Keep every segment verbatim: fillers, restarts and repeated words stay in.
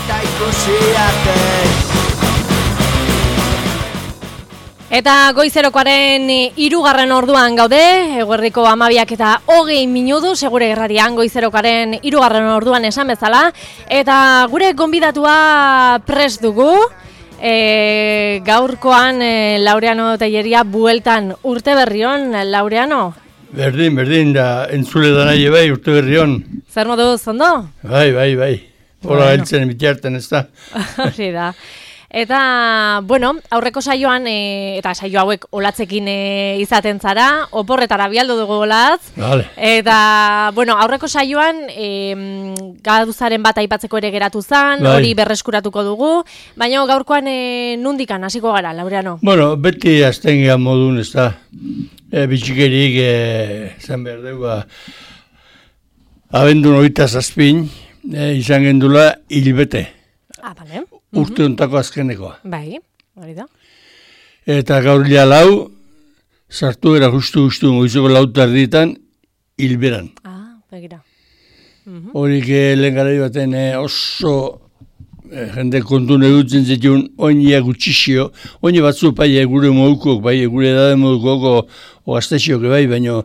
eta ikusi arte. Eta goizerokoaren hirugarren orduan gaude, eguerdiko hamabiak eta hogei minutu, segure irratian goizerokoaren hirugarren orduan esan bezala, eta gure gonbidatua prest dugu, e, gaurkoan e, Laureano Telleria bueltan urte berrion, Laureano? Berdin, berdin, da entzule da nahi bai urte berrion. Zer modu zondo? Bai, bai, bai, hola bueno. Heltzen bitiarten ez da. Hori da. Eta, bueno, aurreko saioan, e, eta saio hauek olatzekin e, izaten zara, oporretara bialdu dugu olatz. Vale. Eta, bueno, aurreko saioan, e, gaduzaren bat aipatzeko ere geratu zan, bai. Hori berreskuratuko dugu, baina gaurkoan e, nundikan hasiko gara, Laureano? Bueno, beti azten gehan modun, ez da, e, bitxikerik, e, zan behar dugu, abendun hogeita zazpin, e, izan gendula hilbete. Ah, bale. Urte ontako azkenekoa. Bai, hori da. Eta gaur lia lau, sartu era justu-justu goizeko lauta erditan, hilberan. Ah, begira. Horik uh-huh. lehen garai baten eh, oso eh, jende kontun edutzen zituen oinia gutxixio, oini batzu bai gure modukok, bai gure edade modukok o, o gaztexioak bai, baina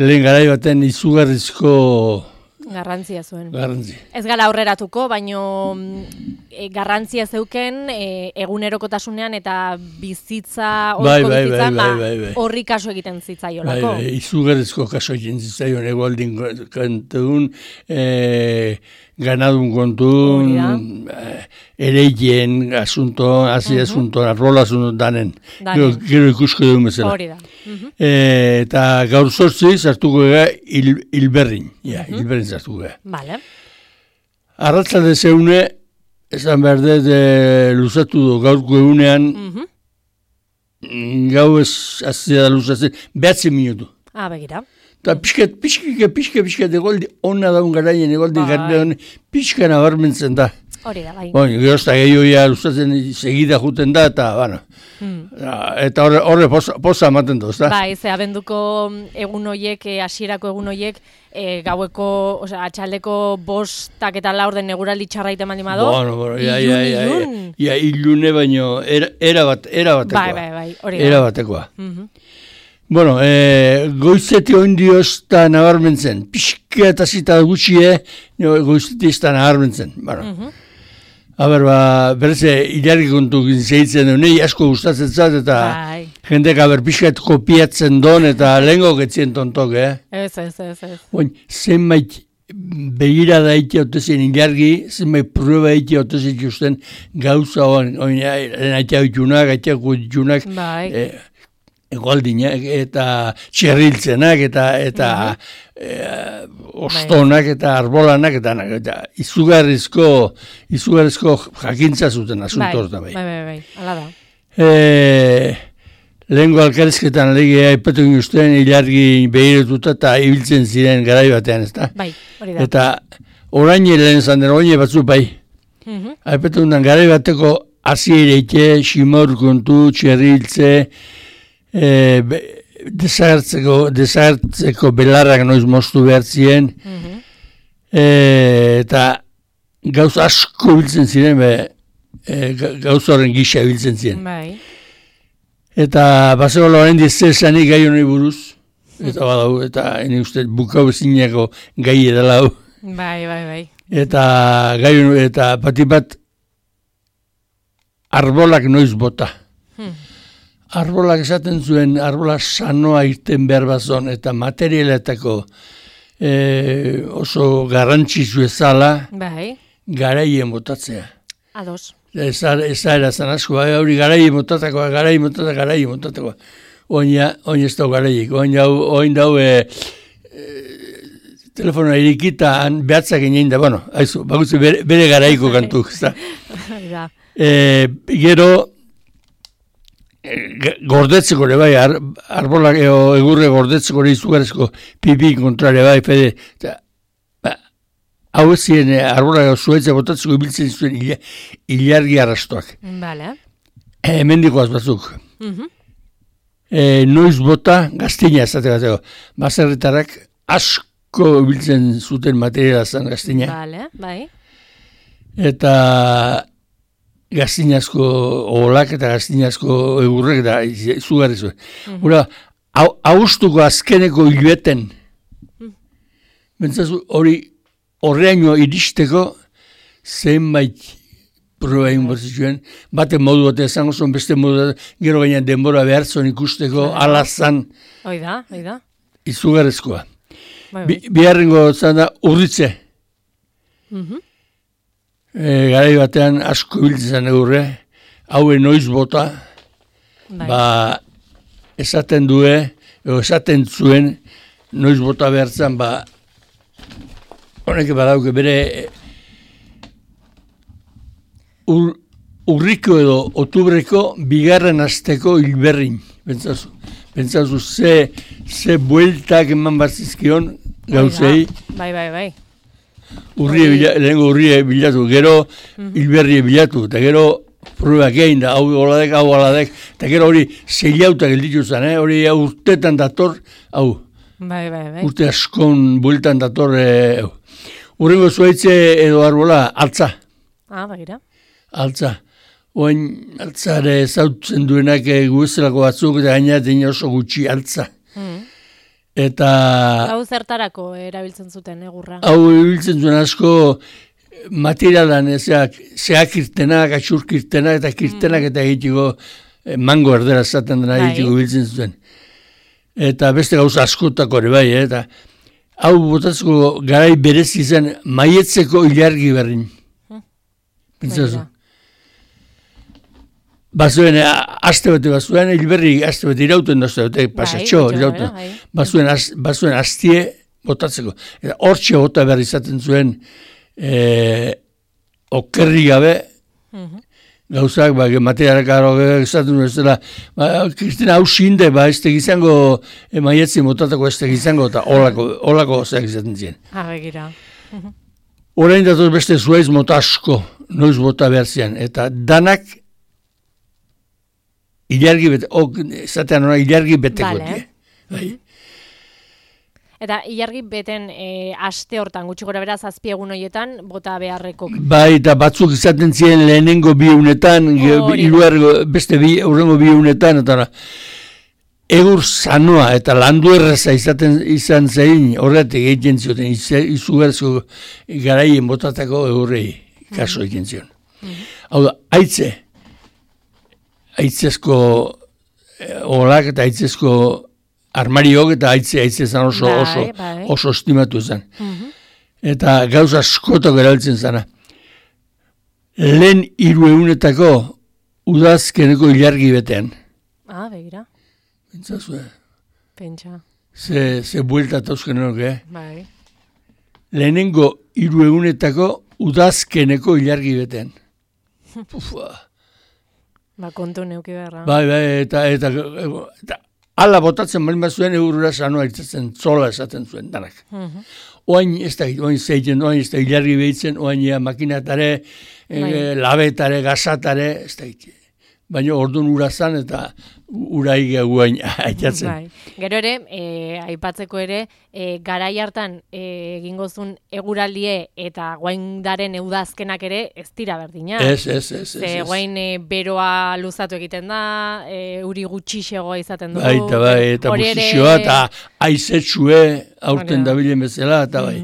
lehen garai baten izugarrizko garrantzia zuen. Garrantzi. Ez gara aurreratuko, baino e, garrantzia zeuken e, egunerokotasunean eta bizitza, bai, oiko bai, bizitza, bai, bai, bai, bai. Horri kaso egiten zitzaiolako. Bai, bai, izugarrizko kaso egiten zitzaion, egualdin kantun, e, ganadun kontun, e, ereien asunto, hazi uh-huh. asunto, arrola asunto danen. Gero, gero ikusko dugun bezala. Hori da. Uh-huh. E, eta gaur sortzi zartuko ega il, hilberrin. Ja, uh-huh. hilberrin zartuko ega. Vale. Arratzalde zeune, esan behar dut e, luzatu du gaurko egunean, uh-huh. gau ez azia da luzatzen, behatzen minutu. Ah, begira. Eta pixkat, pixkat, pixkat, pixkat, egoldi, onna daun garaien, egoldi garbian, pixka nabarmentzen da. Hori da, bai. Bueno, gerozta gehioia luzatzen segida juten da, eta, bueno, hmm. eta horre, horre posa, posa ematen duz, da? Bai, ze abenduko egun hoiek, hasierako egun hoiek, e, gaueko, osea, atxaldeko bostak eta laur den eguraldi txarraite mandi mado. Bueno, bueno, ia, ia, ia, ia, ia, ilune baino, era, era, bat, era batekoa. Bai, bai, bai, hori da. Era batekoa. Mhm. Bueno, eh, goizeti ondioz eta nabarmentzen. Pixka eta zita gutxie, goizeti ez da nabarmentzen. Bueno. Uh-huh. Aber, ba, berze, ilargi kontu zeitzen duen, nahi asko gustatzen zat, eta bai. Jendek aber pixkat kopiatzen don, eta lehenko getzien tontok, eh? Ez, ez, ez, ez. Oin, zenbait begira da ite otezien ilargi, zenbait prueba ite otezien justen gauza oin, oin, aitea itunak, aitea itunak, bai. Eh, Egoaldinak eta txerriltzenak eta eta uh-huh. e, ostonak eta arbolanak eta, eta izugarrizko izugarrizko jakintza zuten asuntor da bai. Bai, bai, bai, hala da. E, lehenko alkarizketan legea aipatu guztien ilargi behiretuta eta ibiltzen ziren garai batean, ezta? Bai, hori da. Eta orain lehen zanden, orain batzu bai. Uh-huh. Aipatu gutan garai bateko aziereite, ximor kontu, txerriltze, E, desagertzeko, desagertzeko belarrak noiz moztu behar ziren, uh-huh. e, eta gauz asko biltzen ziren, be, e, gauz horren gisa biltzen ziren. Bai. Eta baseko loren dizesanik gai honi buruz, eta badau, eta ene uste bukau ezineko gai edala hau. Bai, bai, bai. Eta gai honi, eta pati bat arbolak noiz bota. Hmm. Arbolak esaten zuen, arbola sanoa irten behar bazon, eta materialetako e, oso garrantzitsu ezala, bai. Garaien botatzea. Ados. Ez era zan asko, hori garaien botatakoa, garaien botatakoa, garaien botatakoa. Oina, oin ez dau garaiek, oin dau, oin dau e, e, telefonoa irikita behatzak inein da, bueno, haizu, bakutze bere, bere garaiko kantuk. e, gero, gordetzeko ere bai, ar, arbolak eo, egurre gordetzeko ere izugarezko pipi kontrare bai, fede, eta, ba, hau ez ziren arbolak zuetzea botatzeko ibiltzen zuen ilargi arrastoak. Vale. E, hemendikoaz batzuk. Uh-huh. E, noiz bota gaztina ezate bateko. Baserritarrak asko ibiltzen zuten materiala zen gaztina. Vale, bai. eta gaztinazko olak eta gaztinazko egurrek da izugarri zuen. Mm-hmm. Hora, austuko azkeneko hilbeten, mm. Bentzazu, hori horreaino iristeko zenbait proba egin bortzituen, bate modu bat ezango zuen, beste modu bat, gero gainean denbora behar zuen ikusteko, alazan. Oida, oida. Izugarrezkoa. Bai, bai. Bi, biharrengo zan da urritze. Mm-hmm. E, garai batean asko biltzen egurre, haue noiz bota, bai. Ba, esaten due, edo esaten zuen, noiz bota behartzen, ba, honek badauke bere ur, urriko edo otubreko bigarren asteko hilberrin, pentsazu. Pentsazu, ze, ze bueltak eman batzizkion gauzei. Bai, bai, bai. Urrie bila, lehenko urrie bilatu, gero mm-hmm. hilberrie bilatu, eta gero pruebak egin da, hau oladek, hau oladek, eta gero hori zeilautak gelditu zen, eh? Hori urtetan dator, hau, bai, bai, bai. Urte askon bueltan dator, eh, urrengo zuaitze edo arbola, altza. Ah, bagira. Altza. Oain altzare zautzen duenak eh, guezelako batzuk, eta gainatzen oso gutxi altza. Mm. Eta... Hau zertarako erabiltzen zuten egurra? Hau erabiltzen zuen asko materialan, zeak, zeak irtenak, atxurk irtenak, eta kirtenak eta egitiko mango erdera zaten dena egitiko biltzen zuten. Eta beste gauza askotako ere bai, eh? Eta hau botatzeko garai berezi zen maietzeko ilargi berrin. Hmm. Pentsazu. Bazuen, aste bete bazuen, hilberri aste bete irauten dozte, bete pasatxo, irauten. Bazuen, bazuen astie botatzeko. Eta hortxe bota behar izaten zuen e, okerri gabe, mm-hmm. gauzak, ba, materialak aro izaten duen, zela, ba, Kristina hau xinde, ba, ez tegizango, e, maietzi botatako ez tegizango, eta olako, olako zeak izaten ziren. Ha, begira. Orain datoz beste zuaiz mota asko, noiz bota behar zian, eta danak ilargi bete, ok, zatean hona ilargi beteko. Vale. Bai. Eta ilargi beten e, aste hortan, gutxi gora beraz, azpi egun horietan, bota beharreko. Bai, eta batzuk izaten ziren lehenengo bi unetan, oh, iruargo, beste bi, urrengo bi unetan, eta egur sanoa eta landu erraza izaten izan zein, horretik egiten zioten, izugarrizko garaien botatako egurrei kaso egiten zion. Mm-hmm. Hau da, haitze, aitzezko olak eta aitzezko armariok eta aitze aitze zan oso, bai, oso, bai. oso estimatu zen. Mm-hmm. Eta gauza askotak erabiltzen zana. Lehen hiru egunetako udazkeneko ilargi betean. Ah, begira. Pentsazu, eh? Pentsa. Ze, ze buelta tauzken enok, eh? Bai. Lehenengo hiru egunetako udazkeneko ilargi betean. Pufa. Ba, kontu neuki beharra. Bai, bai, eta, eta, eta, eta ala botatzen bali bat zuen eurura sanoa itzatzen, zola esaten zuen, danak. Uh-huh. Oain ez da, oain zeiten, oain ez da, ilargi behitzen, oain ja, makinatare, bai. e, labetare, gazatare, ez da, baina orduan ura zan eta ura igea guain aitatzen. Bai. Gero ere, e, aipatzeko ere, e, garai hartan e, egingozun eguraldie eta guaindaren eudazkenak ere ez dira berdina. Ez, ez, ez. Ze guain e, beroa luzatu egiten da, e, uri gutxixegoa izaten dugu. Bai, eta bai, eta buzixoa ere... eta aizetxue aurten dabilen bezala, eta bai.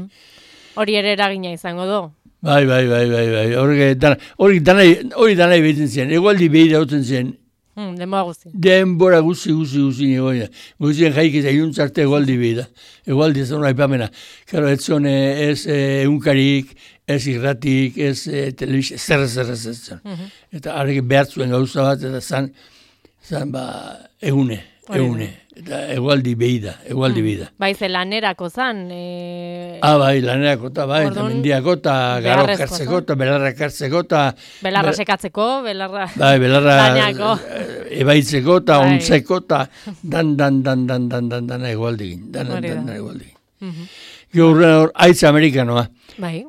Hori ere eragina izango du. Bai, bai, bai, bai, bai, hori dana, hori danai, hori danai behitzen ziren, egualdi behi dauten ziren. Hmm, denbora guzti. Denbora guzti, guzti, guzti, egoia. Guztien jaik eta iuntzarte egualdi behi da. Egualdi ez da hona ipamena. Karo, ez zone, ez egunkarik, ez irratik, ez telebizia, zer, zer, zer, zer. Uh-huh. Eta harrek behartzuen gauza bat, eta zan, zan, ba, egune, egune. Eta egualdi behi da, egualdi behi da. Bai, ze lanerako zan. E... Ah, bai, lanerako eta bai, eta mendiako eta garo kartzeko eta belarra kartzeko eta... Belarra sekatzeko, belarra... Bai, belarra laneako. Ebaitzeko eta bai. Ontzeko eta dan, dan, dan, dan, dan, dan, dan, egualdi gin. Dan, dan, dan, dan, egualdi gin. Uh-huh. Gaur hor, aitz amerikanoa. Bai.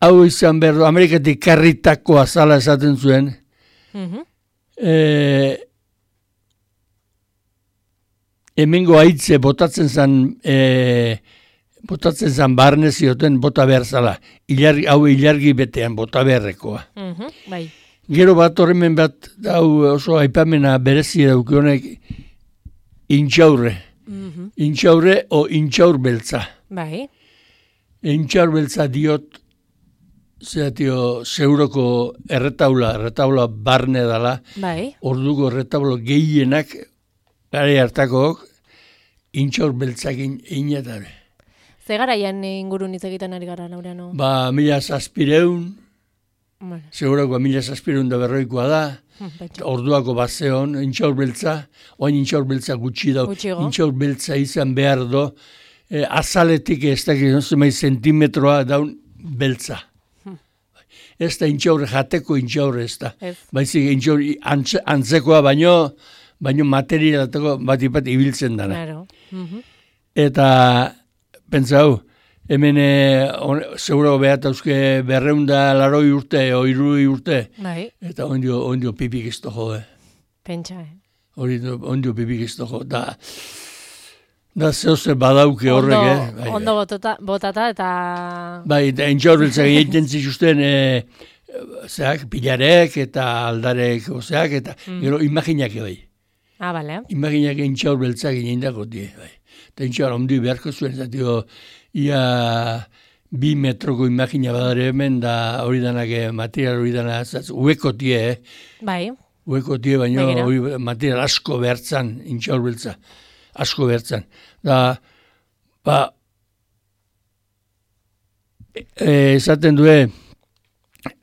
Hau izan behar du, Amerikatik karritako azala esaten zuen. Uh-huh. Eh... Hemengo haitze botatzen zen e, botatzen zan barne zioten bota behar zala. Ilargi, hau ilargi betean bota beharrekoa. Mhm, bai. Gero bat horremen bat, hau oso aipamena berezi daukionek, intxaurre. Mhm. Intxaurre o intxaur beltza. Bai. Intxaur beltza diot, zeratio, zeuroko erretaula, erretaula barne dala, Bai. orduko erretaulo gehienak, gare hartakook, intxaur beltzakin inetabe. Ze garaian ingurun hitz egiten ari gara, Laureano? Ba, mila zazpireun, Bueno. segurako mila zazpireun da berroikoa da, Pentsa. orduako bazeon, intxaur beltza, oain intxaur beltza gutxi dau, Gutxigo. intxaur beltza izan behar do, eh, azaletik ez dakit, zemai zentimetroa daun beltza. Ez da intxaurre jateko intxaurre ez da. Ez. Baizik intxaurre antze, antzekoa baino, baino materialateko bat ipat ibiltzen dana. Claro. Mhm. Eta, pentsau, hemen e, seguro behat euske berreunda laroi urte, o irui urte, Bai. eta ondio, ondio pipik ez dojo, eh. Pentsa, eh? Hori ondio pipik ez dojo, da, da zehose badauke horrek, Ondo, eh. Bai, ondo botata, botata eta... bai, eta intxaurreltzak egiten zituzten, e, zeak, pilarek eta aldarek, ozeak, eta Mm. gero imaginak bai. Ah, bale. Imaginak intxaur beltzak indako die, bai. Eta intxaur ondi beharko zuen, eta dio, ia bi metroko imagina badare hemen, da hori danak eh, material hori dana, ueko tie, eh? Bai. Ueko tie, baina Begira. hori material asko behartzan, intxaur beltza, asko behartzan. Da, ba, e, esaten due,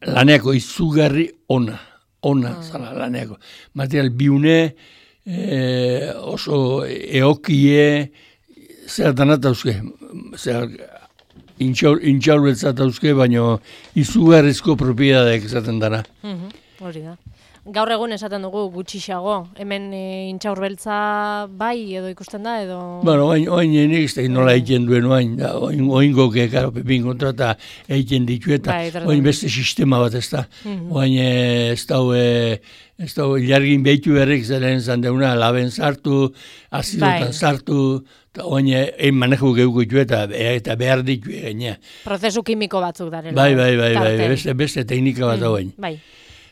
laneako izugarri ona, ona, Ah. zala laneako. Material biune, e, oso eokie, zer danat dauzke, zer intxaur, intxaur beltzat dauzke, baina izugarrizko propiedadek esaten dana. Mhm, hori da. Gaur egun esaten dugu gutxixago, hemen e, intxaur beltza bai edo ikusten da edo... Bueno, oain, oain nik ez da nola egiten duen oain, da, oain, oingo kekaro pepin kontrata egiten ditu eta Bai, tratamendu. oain beste sistema bat ez da. Mhm. Oain eh, ez da, eh, ez da, ilargin behitu berrik zaren zan deuna, laben sartu, azidotan Bai. sartu, eta oain egin manejo geuko ditu eta, eta behar ditu egin. Prozesu kimiko batzuk darela. Bai, bai, bai, bai, tartean. beste, beste teknika bat Mhm, oain. Bai.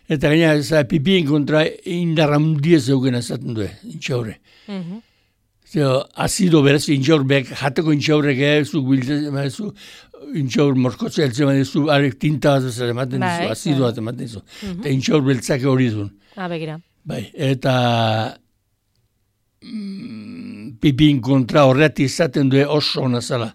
Eta gaina, za, pipien kontra indarra mundiez euken ezaten du, intxaurre. Mhm. Zeo, azido beraz, intxaurbek, jateko intxaurrek, eh, zuk biltzen, zu, intxaur morkotze heltzen badezu, arek tinta bat bezala ematen Bai, dizu, azido bai. bat ematen dizu. Mhm. Eta intxaur beltzake hori duen. Ah, begira. Bai, eta mm, pipin kontra horreati izaten du oso ona zala.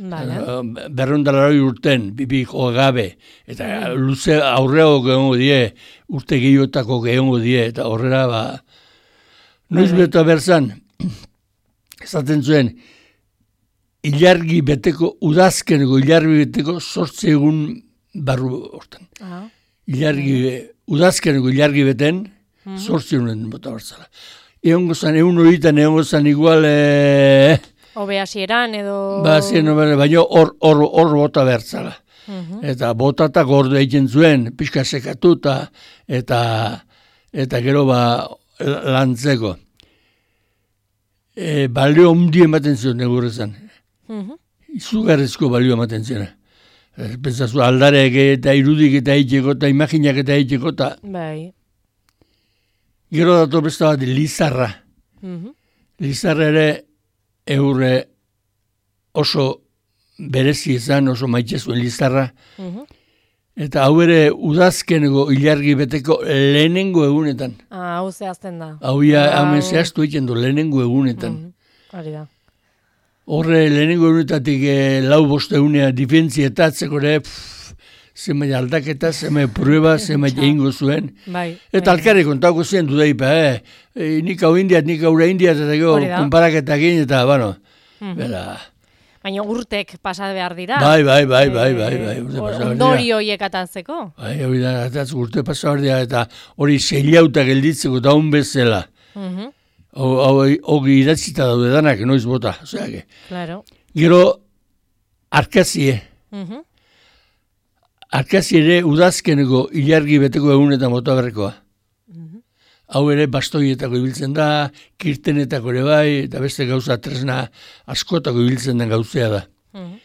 Vale. Uh, berrondalari urten, pipi jo gabe, eta luze aurreo gehongo die, urte gehiotako gehongo die, eta horrela, ba, noiz Bai. beta berzan, esaten zuen, ilargi beteko, udazkeneko ilargi beteko, sortze egun barru hortan. Ah. Ilargi, udazkeneko ilargi beten, sortze egunen bota barzala. Egongo zan, egun horitan egongo zan igual, eh, Obe hasieran edo... ba, zien, baina hor, hor, hor bota bertzala. Mhm. Eta botatak gordo egiten zuen, pixka sekatu eta, eta, eta gero ba lantzeko. E, balio ondi ematen zuen negurrezan. Mhm. Izugarrizko balio ematen zuen. E, Pentsazu aldarek eta irudik eta egiteko eta imaginak eta egiteko eta Bai. gero dato beste bat lizarra. Mhm. Lizarra ere eurre oso berezi izan, oso maite zuen lizarra. Mhm. Eta hau ere udazkeneko ilargi beteko lehenengo egunetan. Ah, hau zehazten da. Hau ia Hau- hemen zehaztu egiten du lehenengo egunetan. Mhm. Hori da. Horre lehenengo egunetatik eh, lau boste egunea difentsietatzeko ere, pff, zemai aldaketa, zemai prueba, zemai egingo zuen. Bai. Eta bai. alkarri kontauko ziren dudaipa, eh? E, nik hau indiat, nik haura indiat, eta gero Hori da. konparaketa egin, eta, bueno, Mhm. bera, Baina urtek pasa behar dira. bai, bai, bai, bai, bai, Eh, bai, urte or- pasa behar dira. Ondori horiek atatzeko. Bai, hori da, atatz urte pasa behar dira, eta hori zeilauta gelditzeko daun bezala. Mhm. Hogi idatzita daude danak, noiz bota. Osea, que. Claro. Gero, arkazie. Mhm. Arkazie ere udazkeneko ilargi beteko egunetan bota berrekoa. Mhm. Hau ere bastoietako ibiltzen da, kirtenetako ere bai, eta beste gauza tresna askotako ibiltzen den gauzea da. Mhm.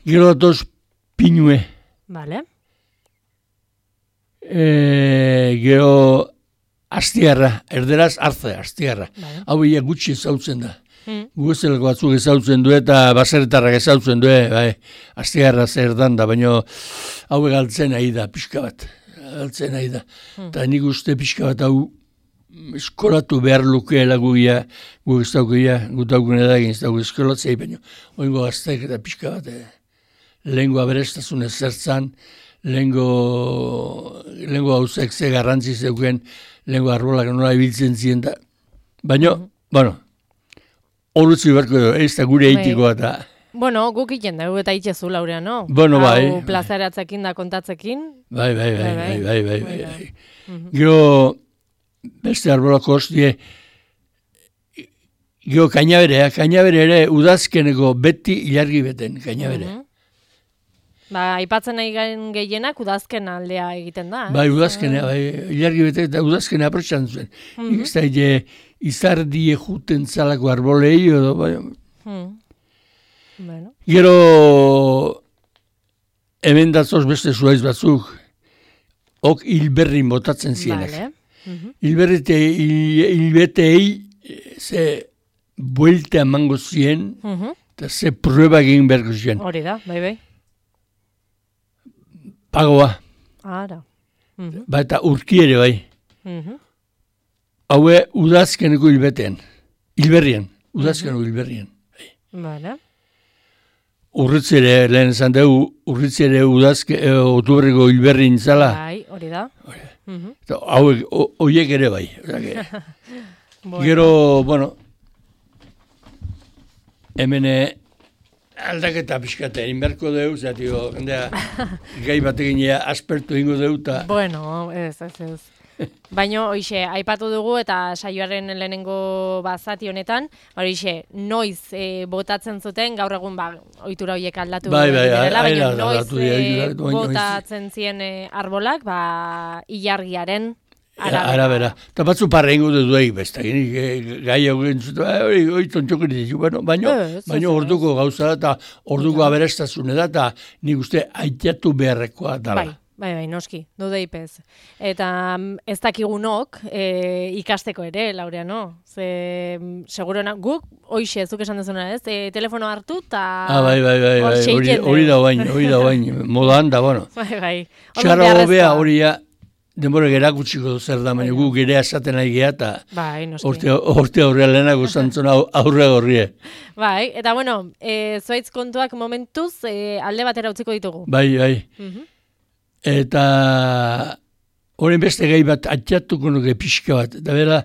Gero datoz pinue. Vale. E, gero astiarra, erderaz arze, astiarra. Vale. Hau ia gutxi ezautzen da. Mm. Guezeleko batzuk ezautzen du eta baserritarrak ezautzen du, bai, astiarra zer dan da, baina hau galtzen nahi da, pixka bat. Galtzen nahi da. Eta nik uste pixka bat hau eskolatu behar lukeela guia, gu ez daukia, gu daukun edagin ez dauk eskolatzei, baina oingo gazteak eta pixka bat, eh, lehengo aberestazun ezertzan, lehengo, lehengo hauzek ze garrantzi zeuken, lehengo arbolak nola ibiltzen ziren da. Baina, mm-hmm. bueno, horretzi beharko edo, ez da gure eitikoa eta... Bueno, guk iten dugu eta itxezu, Laurea, no? Bueno, bai. Hau plazaratzekin da kontatzekin. Bai, bai, bai, bai, bai, bai, bai, bai. Gero, beste arbolako hostie, gero kainaberea, kainabere ere udazkeneko beti ilargi beten, kainaberea. Ba, aipatzen nahi garen gehienak udazken aldea egiten da. Eh? Bai, udazkenea, bai, ilargi bete eta udazkenea aprotxan zuen. Mm-hmm. Ez da, ide, izardie juten zalako arbolei, edo, bai. Mm. Bueno. Gero, hemen datzoz beste zuaiz batzuk, ok hilberri botatzen zienak. Vale. Mm-hmm. Hilberrite, hilbetei, ze buelta emango zien, mm-hmm. eta ze prueba egin beharko zien. Hori da, bai, bai. Pagoa. Ara. Mm-hmm. Ba, eta urki ere bai. Mm-hmm. Haue udazkeneko hilbetean. Hilberrien. Udazkeneko mm-hmm. hilberrien. Bai. Vale. Urritzere, lehen esan dugu, urritzere udazke, e, otubreko hilberrin zala. Bai, hori da. Mm-hmm. Eta hauek, horiek ere bai. Bueno. Gero, bueno, hemen aldaketa pixkate, inberko deu, zatio, gai batekin aspertu ingo deu. Ta... Bueno, ez, ez, ez. Baina, hoxe, aipatu dugu eta saioaren lehenengo bazati honetan, hoxe, noiz e, botatzen zuten, gaur egun ba, ohitura horiek aldatu bai, bai, direla, baina bai, noiz aldatu, e, botatzen zien e, arbolak, ba, ilargiaren arabera. Arabera. Eta batzu parra ingo dut duek besta, gai hau gentzutu, hori hori tontxokeri ditu, baina orduko gauza da, eta orduko aberastazune da, eta nik uste aitatu beharrekoa dala. Bai. Bai, bai, noski, dudeipez. Eta ez dakigunok e, ikasteko ere, Laurea, no? Ze, segurona, guk, hoxe, zuk esan dezuna ez, e, telefono hartu, eta... Ah, bai, bai, bai, bai. hori, hori da bain, hori da bain, modan da, bueno. Bai, bai. Txarra hobea hori ja, denbora gerakutsiko zer da, baina gu gerea esaten nahi geha, eta bai, orte, orte aurrea lehenago zantzona aurre horrie. Bai, eta bueno, e, zoaitz kontuak momentuz e, alde batera utziko ditugu. Bai, bai. Mm-hmm. Eta horren beste gai bat atxatuko nuke pixka bat. Eta bera,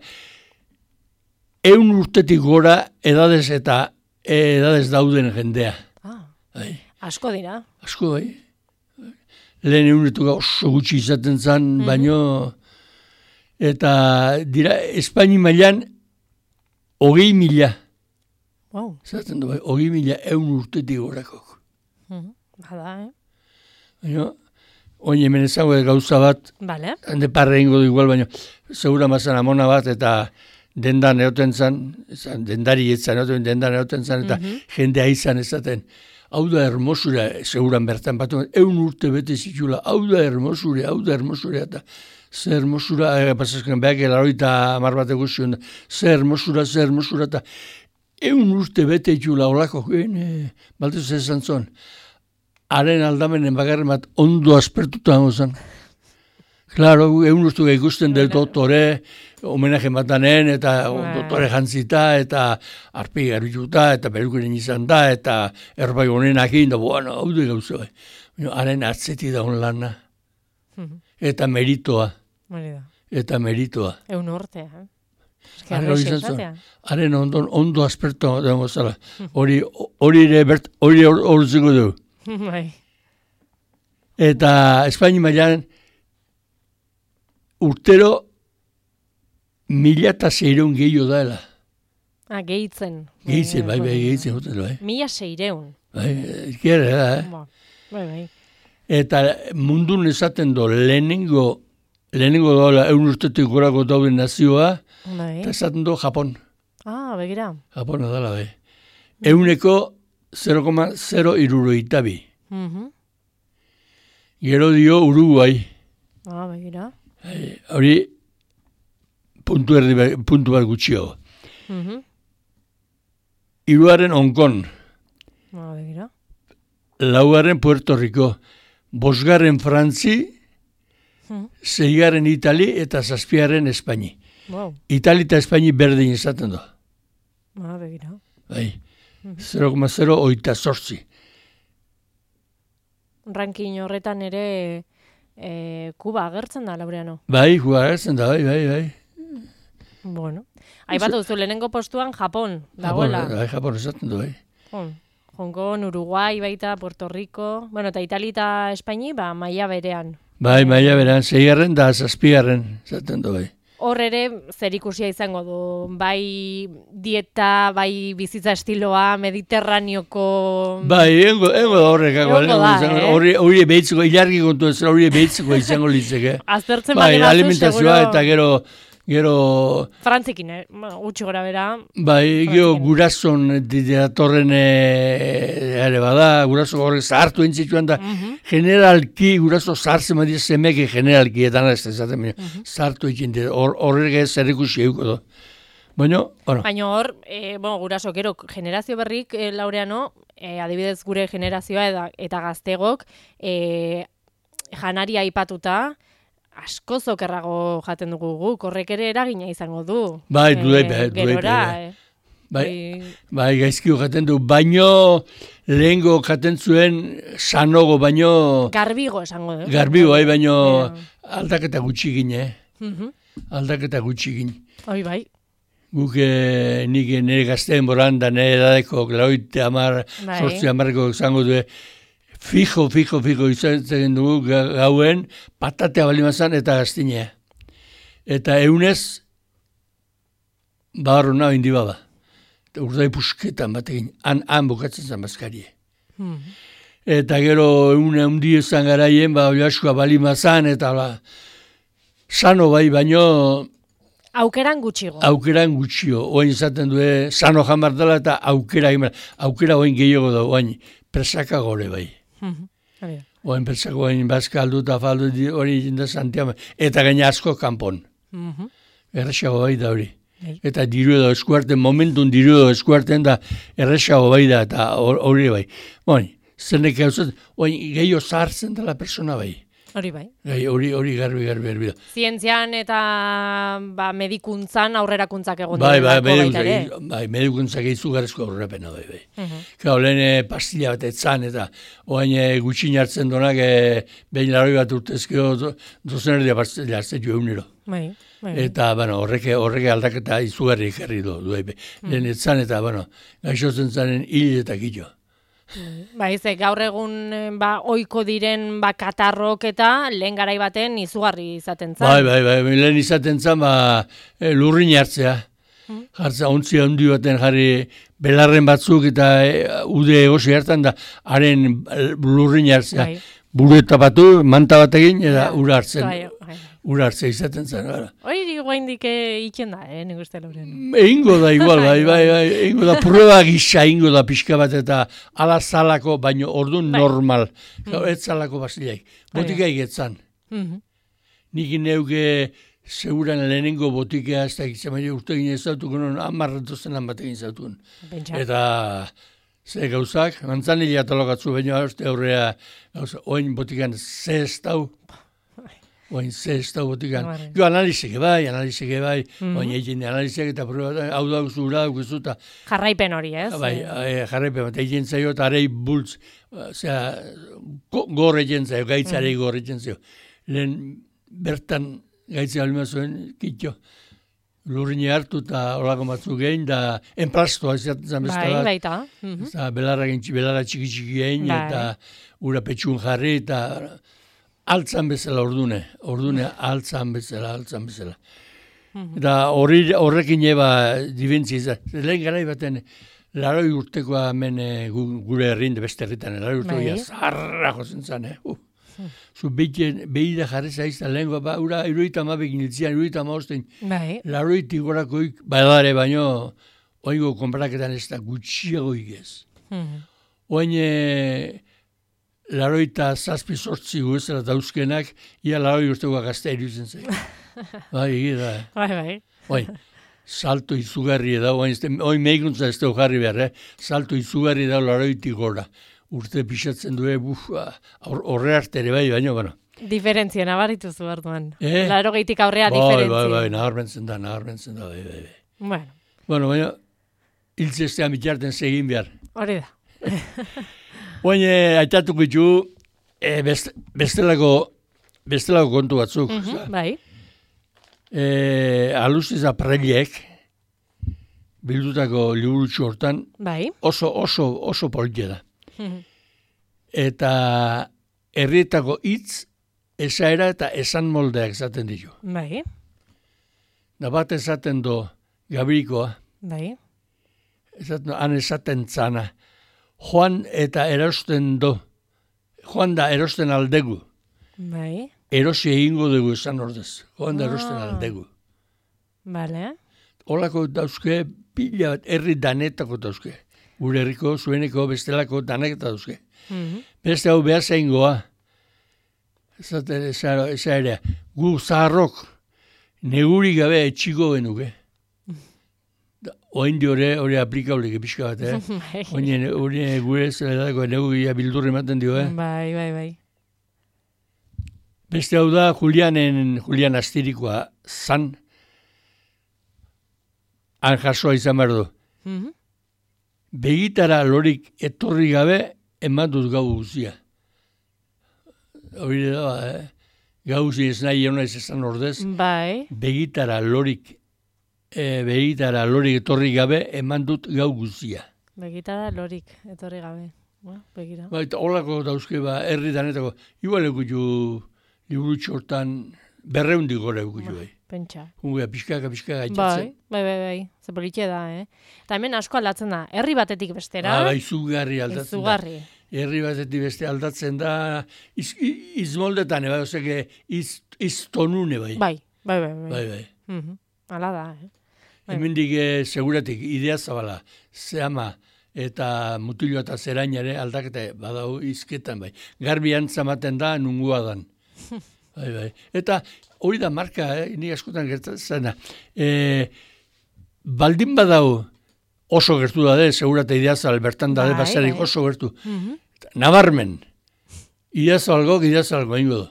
eun urtetik gora edadez eta edadez dauden jendea. Ah, bai. Asko dira. Asko, bai. Lehen eunetuka oso gutxi izaten zen, mm-hmm. baino, eta dira, Espaini mailan hogei mila. Wow. Zaten du, bai, hogei mila eun urtetik gorakok. Mm-hmm. Bada, eh? Baina, oin hemen ezago gauza bat, vale. Hande parre ingo du igual, baina segura mazan amona bat, eta dendan egoten zan, dendari etzan, dendan egoten zan, eta mm-hmm. jendea izan ezaten. Hau da hermosura, seguran bertan bat, eun urte bete zitula, hau da hermosura, hau da hermosura, eta ze hermosura, e, pasazken behak elaroita amar bat eguzion, ze hermosura, ze hermosura, eta eun urte bete zitula olako, e, baltez ezan zon. Haren aldamenen bagarren bat ondo aspertuta hango zen. Claro, egun ustu ikusten dut doktore, homenaje batanen, eta doktore jantzita, eta arpi garbituta, eta perukerin izan da, eta erbai honenak egin, da, bueno, hau du gauza bai. Haren atzeti da hon lana. Eta meritoa. Eta meritoa. Egun urtea, eh? Haren ondo, ondo aspertuta hango zela. Hori ere, hori horretzeko du. Bai. Eta Espaini mailan urtero mila eta seireun gehiago daela. Ah, gehitzen. Gehitzen, bai, bai, gehitzen. Bai. Mila seireun. Bai, ikera da, eh? Bai, bai. Eta mundun esaten do, lehenengo, lehenengo dola eun urtetik gorako dauden nazioa, bai. Eta esaten do Japon. Ah, begira. Japona dala, bai. Euneko zero koma zero hirurogeita bi. Mhm. Gero dio Uruguai. Ah, begira. Eh, Hori puntu, erdi, puntu bat gutxio. Mhm. Hiruaren Hong Kong. Ah, begira. Laugarren Puerto Rico. Bosgarren Frantzi, Mhm. seigarren Itali eta zazpigarren Espaini. Wow. Itali eta Espaini berdin izaten du. Ah, begira. Bai. zero koma zero oita zortzi. Ranking horretan ere e, Kuba agertzen da, Laureano. Bai, jugatzen da, bai, bai, bai. Bueno. Aipatu duzu, lehenengo postuan Japon, dagoela. Japon, bai, Japon esaten du, bai. Hon, Hong Kong, Uruguai, baita, Puerto Rico, bueno, eta Itali eta Espaini, ba, maila berean. Bai, maila beran, zeigarren da zazpigarren, esaten du, bai. Hor ere zerikusia izango du, bai dieta, bai bizitza estiloa, mediterraneoko... Bai, engo, engo da horrek, Egongo da, eh? hori hori behitzeko, ilargi kontu ez, hori behitzeko izango litzeke. Aztertzen Bai, bali batzu, alimentazioa seguro... eta gero, gero, Frantzikin, eh? Gutxi gora bera. bai, gero Frantzikin. gurason datorren eh, ere bada, guraso horrek zahartu entzituan da, Mhm. generalki, guraso zahartzen badia zemeke generalki, eta nara ez da esaten, baina, zahartu egin dira, horrek ez zerrikusi euko do. Baina, bueno, Baina hor, e, bueno, guraso, gero, generazio berrik, e, Laureano, e, adibidez gure generazioa eta, eta gaztegok, e, janaria aipatuta, asko zokerrago jaten dugu guk, horrek ere eragina izango du. Bai, E, duei, bai, duei, Gerora, bai. e, bai, bai, bai, gaizkio jaten du, baino lehengo jaten zuen sanogo, baino garbigo esango du. garbigo, bai, baino Ja. aldaketa gutxi gine, eh? Mhm. aldaketa gutxi gine. Hoi bai, Guk eh, nik nire gazteen boran da nire edadeko, laurogeita hamar, Bai. sortzi hamarreko zango du, fijo, fijo, fijo izaten dugu ga- gauen, patatea balimazan eta gaztinea. Eta eunez, bagarro nahi indi baba. Urdai pusketan batekin, han, han bukatzen zen bazkarie. Mhm. Eta gero eune hundi ezan garaien, ba, oiaskua balimazan, eta la, sano bai, baino Aukeran gutxigo. aukeran gutxio. Oain izaten du, sano jamar dela eta aukera, egin behar. aukera oain gehiago da, oain presaka gore bai. Mhm. Hori da. Oain presako oain bazka aldu eta faldu di- hori jinda Santiago. Eta gaina asko kanpon. Mhm. Erresago bai da hori. Bai. Eta diru edo eskuarten, momentun diru edo eskuarten da erresago bai da, eta hor- hori bai. Oain, zenek gauzat, oain gehiago zahartzen dela persona bai. Hori bai. Gai, hori, hori garbi, garbi, garbi da. Zientzian eta ba, medikuntzan aurrerakuntzak egon Bai, bai, direlako baita ere. medikuntzak, bai, medikuntzak izugarrizko aurrerapena bai, bai. Mhm. Gau, lehen eh, pastilla bat etzan, eta oain e, gutxin hartzen donak, e, behin laroi bat urtezkeo, do, dozen erdia pastilla hartzen jo egunero. Bai, bai. Eta, bueno, horrek, horrek aldaketa izugarri ekarri du, du bai. Lehen etzan, eta, bueno, gaixotzen zanen hil eta gillo. Bai, ze gaur egun eh, ba ohiko diren ba katarrok eta lehen garai baten izugarri izaten zen. Bai, bai, bai, lehen izaten zan, ba, e, lurrin hartzea. Jartza, ontzi handi baten jarri belarren batzuk eta e, ude egosi hartan da, haren eh, lurrin hartzea. Bai. Buru eta batu, manta batekin, eta Bai, ura hartzen. bai, bai. Ura hartzea izaten zen, gara. Hori guaindik itzen da, eh, nik uste Lauren. Eingo da igual, bai, bai, bai, eingo da prueba gisa, eingo da pixka bat eta ala zalako, baino orduan Bai. normal. Gau, ez zalako basileik. Botikaik etzan. Mhm. Nik neuke seguran lehenengo botikea ez da egitzen, baina urte gine ez dautuko non, amarratozenan batekin zautun. Pentsa. Eta ze gauzak, mantzanila talokatzu, baina uste aurrea, gauza, oin botikan ze ez dau, oin ze ez dau botikan. Barre. Jo, analizeke bai, analizeke bai, Mhm. oin egin analizek eta prueba, hau da zura daukuzu eta Jarraipen hori, ez? bai, e, jarraipen bat egin zaio eta arei bultz, osea, go, gor egin zaio, gaitzarei gor egin zaio. Lehen bertan gaitzea alima zuen, kitxo, lurrine hartu eta olako batzu gehin, da enplastoa izaten zen besta Bai, bat. baita. Mhm. Eta belarra gentsi, belarra txiki txiki egin, Bai. eta ura petxun jarri, eta altzan bezala ordune, ordune altzan bezala, altzan bezala. Eta horri, horrekin eba dibentzi izan. Lehen garai baten, laroi urtekoa hemen eh, gu- gure herrin, de beste herritan, laroi urteko Bai. ja zarra jozen zan, eh? Uh. Zu behida jarri zaizta lehen, ba, ura iruita amabekin iltzian, iruita amaosten, Bai. laroitik gorakoik, badare baino, oingo konpraketan ez da gutxiago igez. Mhm. oain e, laroita zazpi sortzi guezera dauzkenak, ia laroi urtekoa gaztea iruditzen zen. Bai, egia da. Bai, bai. Bai, salto izugarri da, oain, oain meikuntza ez dugu jarri behar, eh? Salto izugarri da laroitik gora. Urte pixatzen du, buf, horre arte ere bai, baina, bueno. Diferentzia nabarritu zu orduan. Eh? Laro gehitik aurrea bai, diferentzia. Bai, bai, nabarmentzen da, nabarmentzen da, bai, bai, bai. Bueno. Bueno, baina, hiltzestean bitarten segin behar. Hori da. Oain, aitatuko ditu, e, best, bestelako, bestelako kontu batzuk. Uh -huh, bai. E, Alustiz apreliek, bildutako liburutxo hortan, bai. oso, oso, oso politia da. Uh -huh. Eta herrietako hitz, esaera eta esan moldeak esaten ditu. Bai. Da bat esaten do Gabirikoa, Bai. esaten, han esaten zana, joan eta erosten do, joan da erosten aldegu, Bai. erosi egingo dugu esan ordez, joan da erosten Ah. aldegu. Bale. Olako dauzke, pila bat, herri danetako dauzke. Gure herriko, zueneko, bestelako danek dauzke. Mhm. Beste hau behar zaingoa, esaten eza ere, gu zaharrok, neguri gabe etxiko genuke. Oin diore, hori aplikaulik pixka bat, eh? Bai. Oin hori gure zeladako neguria bildurri ematen dio, eh? Bai, bai, bai. Beste hau da, Julianen, Julian Astirikoa zan, han jasoa izan behar du. Mhm. Begitara lorik etorri gabe, eman dut gau guzia. Hori da, eh? Gau guzia ez nahi egon ez esan ordez, Bai. begitara lorik, e, begitara lorik etorri gabe, eman dut gau guzia. Begitada lorik, etorri gabe. Ba, begira. Ba, eta holako dauzke, ba, herri danetako, igual egutu liburutxo hortan berreundik gora egutu, bai. Pentsa. Hungea, pixkaka, pixkaka Bai, gaitzatzen. bai, bai, bai. Ze politxe da, eh? Eta hemen asko aldatzen da. Herri batetik bestera. Ba, ba, izugarri aldatzen Izugarri. da. Herri batetik beste aldatzen da, iz, iz, izmoldetan, bai, ozeke, iz, iztonune, bai. Bai, bai, bai, bai. Bai, bai. Mhm. Hala da, eh? Bai. Hemendik eh, seguratik idea zabala, zehama eta mutiloa eta zerainare aldaketa badau izketan, bai. Garbi antzamaten da, nungua dan. Bai, bai. Eta hori da marka, eh, nik askotan gertatzen da. E, baldin badau oso gertu da de, segurate ideazal, bertan da de, Bai, basarik bai. oso gertu. Mhm. Nabarmen, ideazalgo, ideazalgo ingo du.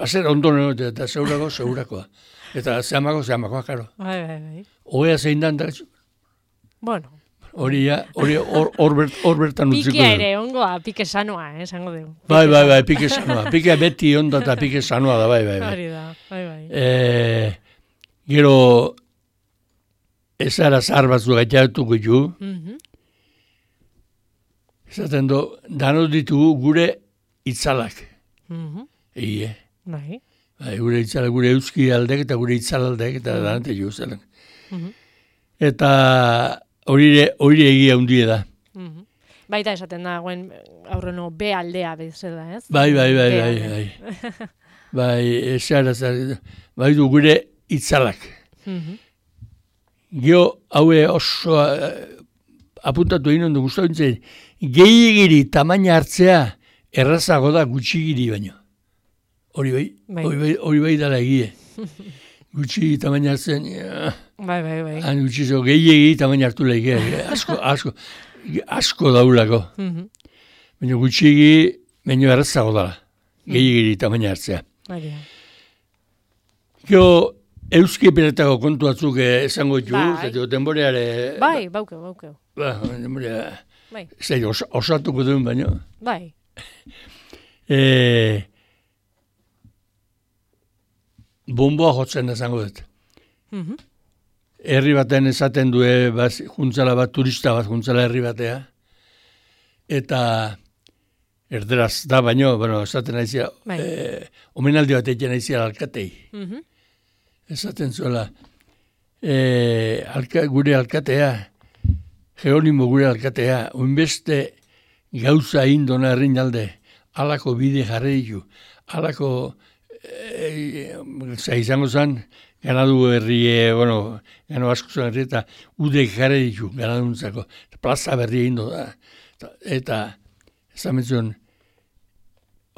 Baser ondo negote, eta segurako, segurakoa. Eta zehamako, zehamakoa, karo. Bai, bai, bai. Oea zein dan, da, Bueno, hori ja, hori hor, hor, bert, hor bertan utziko pikia du. ere ongoa, pike sanoa, eh, esango dugu. Bai, bai, bai, pike sanoa. Pike beti onda eta pike sanoa da, bai, bai, bai. Hori da, bai, bai. E, gero, ezara zahar batzu gaitatuko ditu, Mhm. esaten du, danot ditugu gure itzalak. Mhm. Egie, Bai. bai, gure itzalak, gure euski aldek eta gure itzalaldek eta danate jo zelen. Mhm. Eta hori hori egia hundie da. Mhm. Baita esaten da, guen aurreno B aldea bezala, ez? Bai, bai, bai, B bai, aldea. bai. Bai, ezara zara, bai du gure itzalak. Mhm. Gio, haue oso eh, apuntatu egin ondo guztau nintzen, gehiagiri tamaina hartzea errazago da gutxigiri baino. Hori bai, Bai. hori bai, hori bai dala egie. Gutxi tamaina hartzen, ja, Bai, bai, bai. han gutxi zo, gehiagiri tamaina hartu lehike, asko, asko, asko daulako. Mhm. Baina gutxigi, baino errazago dala, gehiagiri tamaina hartzea. Hori da. Gio, euski peretako kontu batzuk eh, esango ditu, Bai. zetio denboreare... Bai, baukeu, baukeu. Ba, denborea... Bai, Zei, os, osatuko duen baino. bai. E, bomboa jotzen esango dut. Mhm. Herri baten esaten due, baz, juntzala bat, turista bat, juntzala herri batea. Eta erderaz da baino, bueno, esaten naizia, Bai. e, omenaldi bat egin naizia alkatei. Mhm. Esaten zuela, e, alka, gure alkatea, Geronimo gure alkatea, oinbeste gauza indona herrin alde, alako bide jarri ditu, alako, e, za izango zen, ganadu herrie, bueno, gano asko zen herri eta udek jarri ditu, ganaduntzako, plaza berri indo da, eta, eta zamentzuen,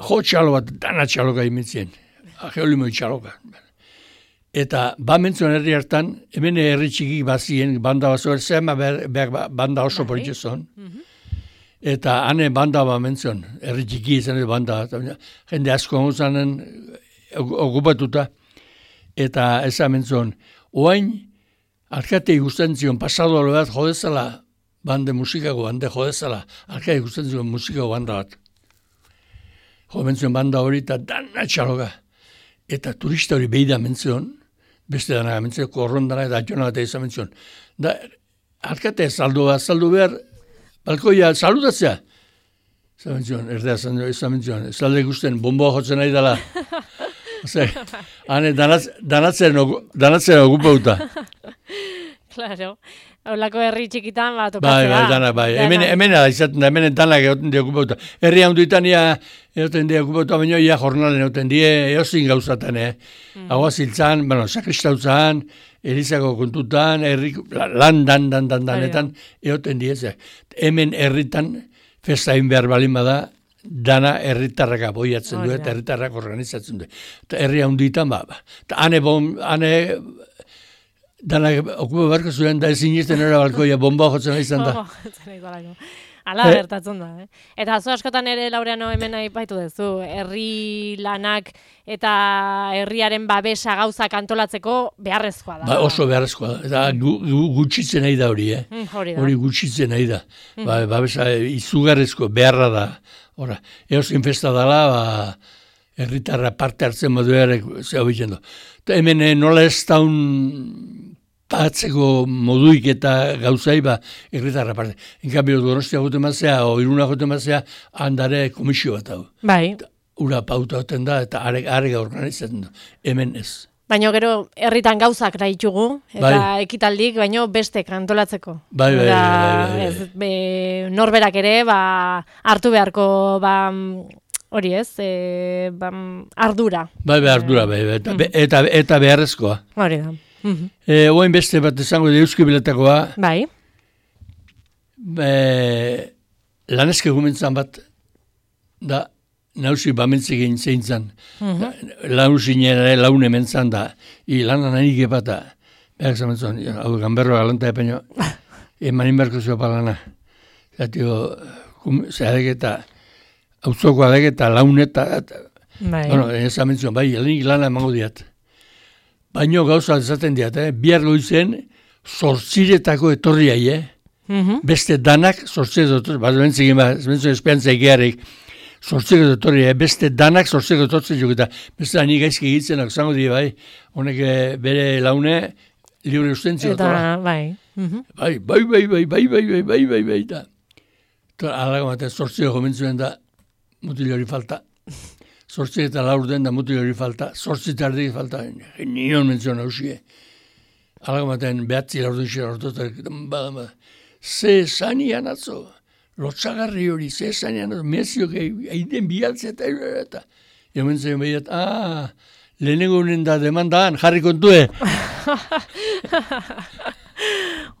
jo txalo bat, dana txaloka imentzien, geolimoi txaloka. Eta ba mentzuen herri hartan, hemen herri txikik bazien, banda bazo, zema banda oso politxezon, eta hane banda ba mentzuen, herri txiki izan banda, jende asko honzanen okupatuta, eta ez mentzuen, oain, alkate ikusten zion, pasado bat jodezala, bande musikago, bande jodezala, alkate ikusten zion musikago banda bat. Jo mentzuen banda hori eta dana txaloga. Eta turista hori behida mentzuen, beste dana mentzuen, korron dana eta atxona bat izan mentzuen. Da, alkate saldu bat, saldu behar, balkoia, salutatzea. Izan mentzuen, erdea izan mentzuen, zalde ikusten, bomboa jotzen nahi dela. Ose, hane, danatzen okupauta. Claro. Olako herri txikitan, ba, tokatzea. Bai, bai, dana, bai. Hemen, hemen izaten da, hemen danak egoten di okupauta. Herri handuitan ia egoten di okupauta, baina ia jornalen egoten die, eozin gauzatan, eh. Mm. Hau aziltzan, bueno, sakristautzan, Elizako kontutan, herri, lan, dan, dan, dan, danetan, egoten die, ze. Hemen herritan, festain behar balin bada, dana herritarrak aboiatzen du, eta herritarrak organizatzen du. Eta herri handitan, ba, ba. Eta hane, bon, hane, dana okupa barko zuen, da ezin izten era balkoia, bomba jotzen izan da. Ala gertatzen da, eh? Eta zo askotan ere, Laureano, hemen aipatu duzu, herri lanak eta herriaren babesa gauzak antolatzeko beharrezkoa da. Ba, oso beharrezkoa da. Eta gu, gu, gutxitzen nahi da hori, eh? Mm, hori da. Hori gutxitzen nahi da. Mm. Ba, babesa izugarrezko beharra da. Hora, eozkin festa dela, ba, herritarra parte hartzen modu ere, zehau bitzen du. Eta hemen nola ez daun patzeko moduik eta gauzai, ba, herritarra parte. Enkabio, Donostia gote mazea, o Iruna gote mazea, handare komisio bat hau. Bai. Ura pauta hoten da, eta arega organizatzen du. Hemen ez. Baina gero herritan gauzak daitugu, eta bai. Ekitaldik, baino bestek antolatzeko. Bai, bai, bai, bai, ez, be, norberak ere, ba, hartu beharko, ba, hori ez, e, ba, ardura. Bai, bai, ardura, bai, bai, eta, mm. eta, eta beharrezkoa. Hori da. Mm-hmm. E, oain beste bat izango da Euski Biletakoa. Bai. E, laneske gumentzan bat, da, nausi bamentzegin zein zan. Mm-hmm. Lausin ere laune mentzan da. I lanan anik epata. Berak zamentzon, hau gamberro galanta epeño. Emanin berko zua palana. Zatio, zehadek eta autzoko adek eta launeta. Bai. Bueno, ez zamentzon, bai, helenik lana emango diat. Baino gauza ezaten diat, eh? Bihar goizen zortziretako etorriai, eh? Mm-hmm. Beste danak zortziretako etorriai. Bat bentzegin, bat bentzegin espeantza egearek. Zortzeko etorri, beste danak zortzeko etortzen juk eta beste da nik gaizki egitzenak zango di, bai, honek bere laune libre ustentzio. Eta, bai. Bai, bai, bai, bai, bai, bai, bai, bai, bai, bai, eta. Alago bat, zortzeko gomentzuen da mutil hori falta. Zortzeko eta laur den da mutil hori falta. Zortzeko ardik falta, nion mentzuen hausie. Alago baten behatzi laur den xera hortotak, bada, bada. Ze zanian atzo. Lotxagarri hori, zezanean, meziok egiten bialtzea eta eta. Jomen zen behiat, ah, lehenengo honen da demandaan, jarri kontue.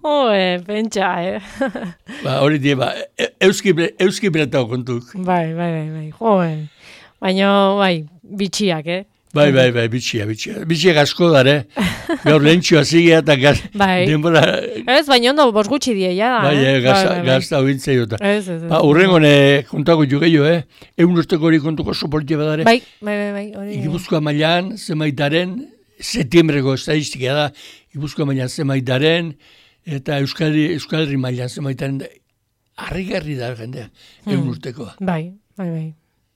Oe, pentsa, eh? Ba, hori die, ba, euski, euski beratao kontuk. Bai, bai, bai, bai, joe. Baina, bai, bitxiak, eh? Bai, bai, bai, bitxia, bitxia. Bitxia asko dare. Gaur lehentxoa zigea eta gaz, bai. denbora... Ez, baina ondo bos gutxi die, ja da. Bai, eh? gazta, bai, bai, gazta hointzei jota. Ez, ez, ez. Ba, urrengon kontako jugeio, eh? Egun urteko hori kontuko oso politia badare. Bai, bai, bai, bai. Hori, Gipuzkoa mailan, zemaitaren, setiembreko estadistika da, Gipuzkoa mailan zemaitaren, eta Euskadi, Euskadi mailan zemaitaren, harrigarri da jendea, egun hmm. urtekoa. Bai, bai, bai.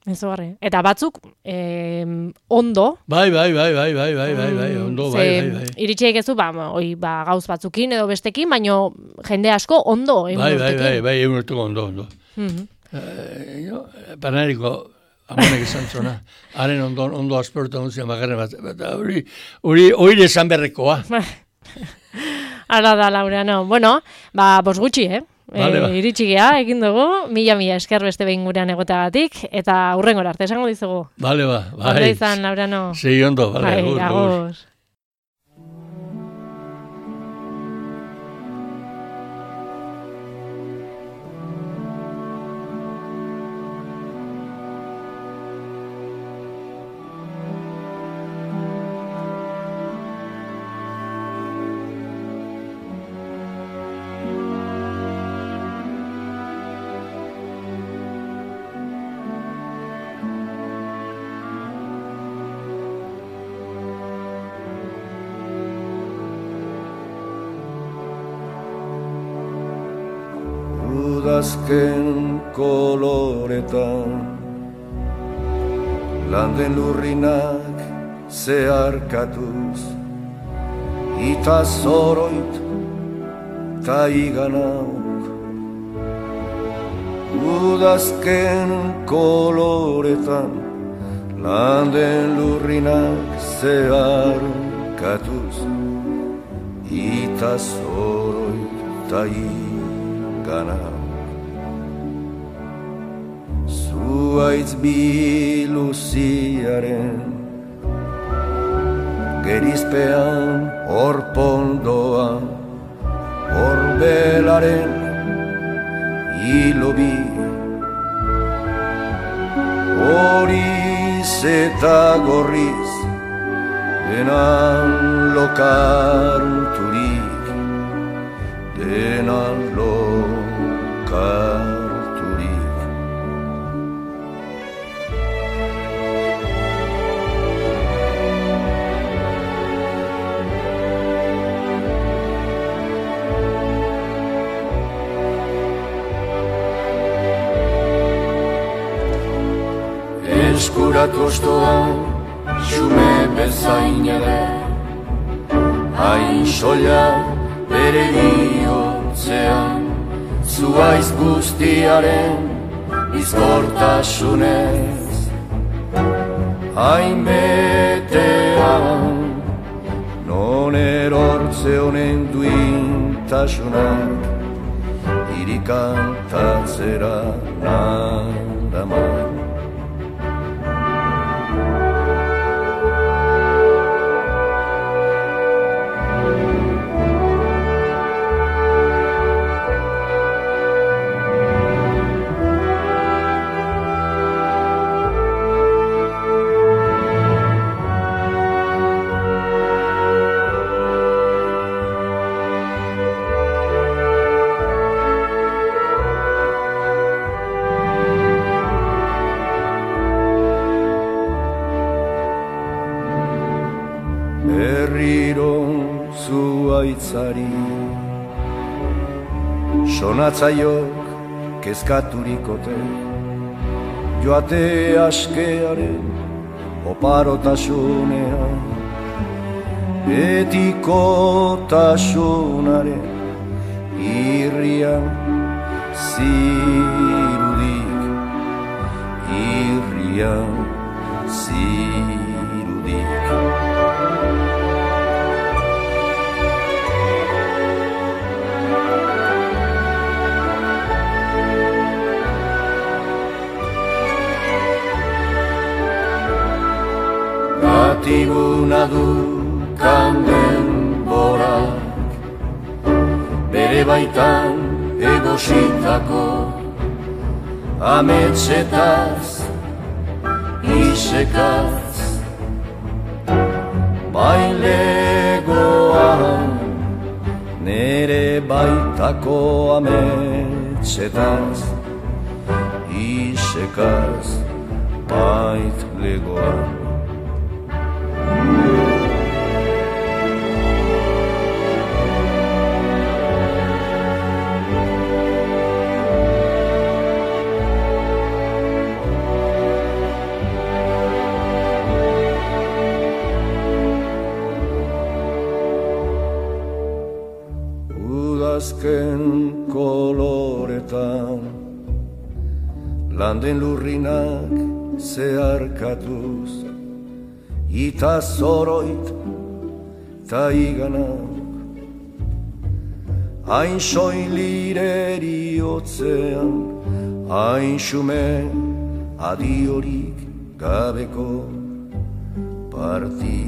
Ezogarri. Eta batzuk eh, ondo. Bai, bai, bai, bai, bai, bai, bai, bai, ondo, bai, bai, bai. Iritxeik ez du, ba, oi, ba, gauz batzukin edo bestekin, baino jende asko ondo. Bai, bai, bai, bai, egun urteko ondo, ondo. Mm-hmm. Uh, jo, Panariko, amonek izan zona, haren ondo, ondo aspertu onzian bagarren bat, eta hori, hori, hori esan berrekoa. Hala da, Laureano. Bueno, ba, bos gutxi, eh? Vale, e, iritxigea, egin dugu, mila-mila esker beste behin gurean egotagatik, eta hurrengora arte esango dizugu. Bale, ba, bai. Ondo izan, Laureano. Segi ondo, bale, bai, agur, agur. udazken koloretan, landen lurrinak zeharkatuz, ita zoroit ta iganauk. Udazken koloretan, landen lurrinak zeharkatuz, ita zoroit ta iganauk. Zuaitz biluziaren gerizpean orpondoan, orbelaren hilobi, horiz eta gorriz denan lokarturik, denan lokarturik. Eskuratu ostoan, xume bezain ere, hain soila bere bihotzean, zuaiz guztiaren bizkortasunez. Hain betean, non erortze honen duintasunak, irikantatzera naraman. Berriro zuaitzari sonatzaiok kezkaturikote, joate askearen oparotasunean, etikotasunaren irrian zirudik, irrian zirudik. Gatibuna du kanden borak, bere baitan egositako ametsetaz, isekaz, bailegoan, nere baitako ametsetaz, isekaz, baitlegoan. Udazken koloretan, landen lurrinak zeharkatuz, ita zoroit ta iganak, hain soilireri otzean, hain xume adiorik gabeko parti.